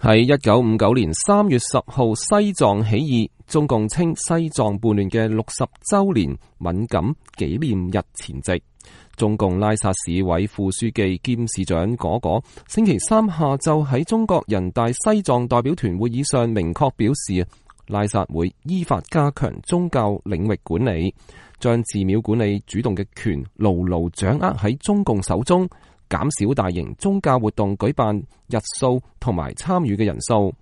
喺1959年3月10號西藏起義，中共稱西藏叛亂嘅60週年敏感紀念日前夕，中共拉薩市委副書記兼市長果果星期三下晝喺中國人大西藏代表團會議上明確表示，拉薩會依法加強宗教領域管理，將寺廟管理主動嘅權牢牢掌握喺中共手中，減少大型宗教活動舉辦日數同埋參與嘅人數，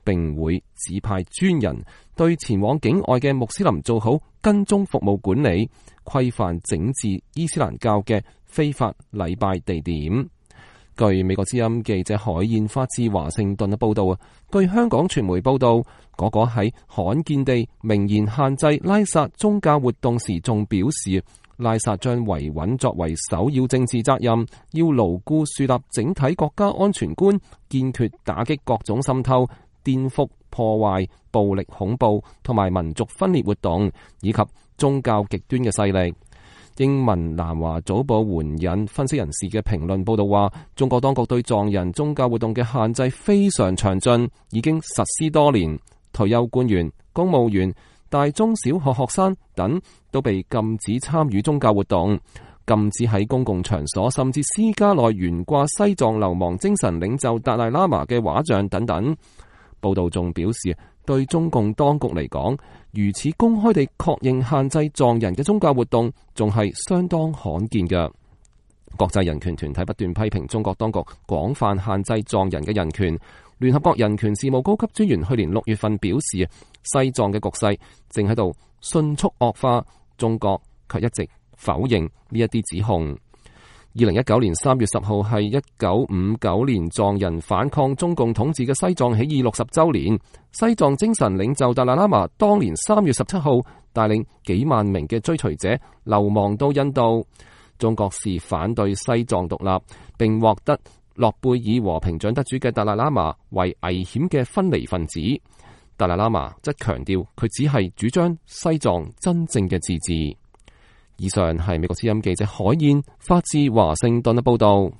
並會指派專人對前往境外嘅穆斯林做好跟蹤服務管理，規範整治伊斯蘭教嘅非法禮拜地點。據美國之音記者海燕發自華盛頓嘅報道，據香港傳媒報道，果果喺罕見地明言限制拉薩宗教活動時，仲表示拉薩將維穩作為首要政治責任，要牢固樹立整體國家安全觀，堅決打擊各種滲透、顛覆、破壞、暴力恐怖同埋民族分裂活動，以及宗教極端嘅勢力。英文南華早報援引分析人士嘅評論報道話，中國當局對藏人宗教活動嘅限制非常詳盡，已經實施多年。退休官員、公務員、大中小學學生等都被禁止參與宗教活動，禁止喺公共場所甚至私家內懸掛西藏流亡精神領袖達賴喇嘛嘅畫像等等。報道仲表示，對中共當局嚟講，如此公開地確認限制藏人嘅宗教活動，仲係相當罕見嘅。國際人權團體不斷批評中國當局廣泛限制藏人嘅人權。聯合國人權事務高級專員去年6月份表示，西藏嘅局勢正喺度迅速惡化，中國卻一直否認呢一啲指控。2019年3月10號係1959年藏人反抗中共統治嘅西藏起義60週年。西藏精神領袖達賴喇嘛當年3月17號帶領幾萬名嘅追隨者流亡到印度。中國視反對西藏獨立並獲得諾貝爾和平獎得主嘅達賴喇嘛為危險嘅分離分子。達賴喇嘛則強調佢只係主張西藏真正嘅自治。以上係美國之音記者海燕發自華盛頓嘅報道。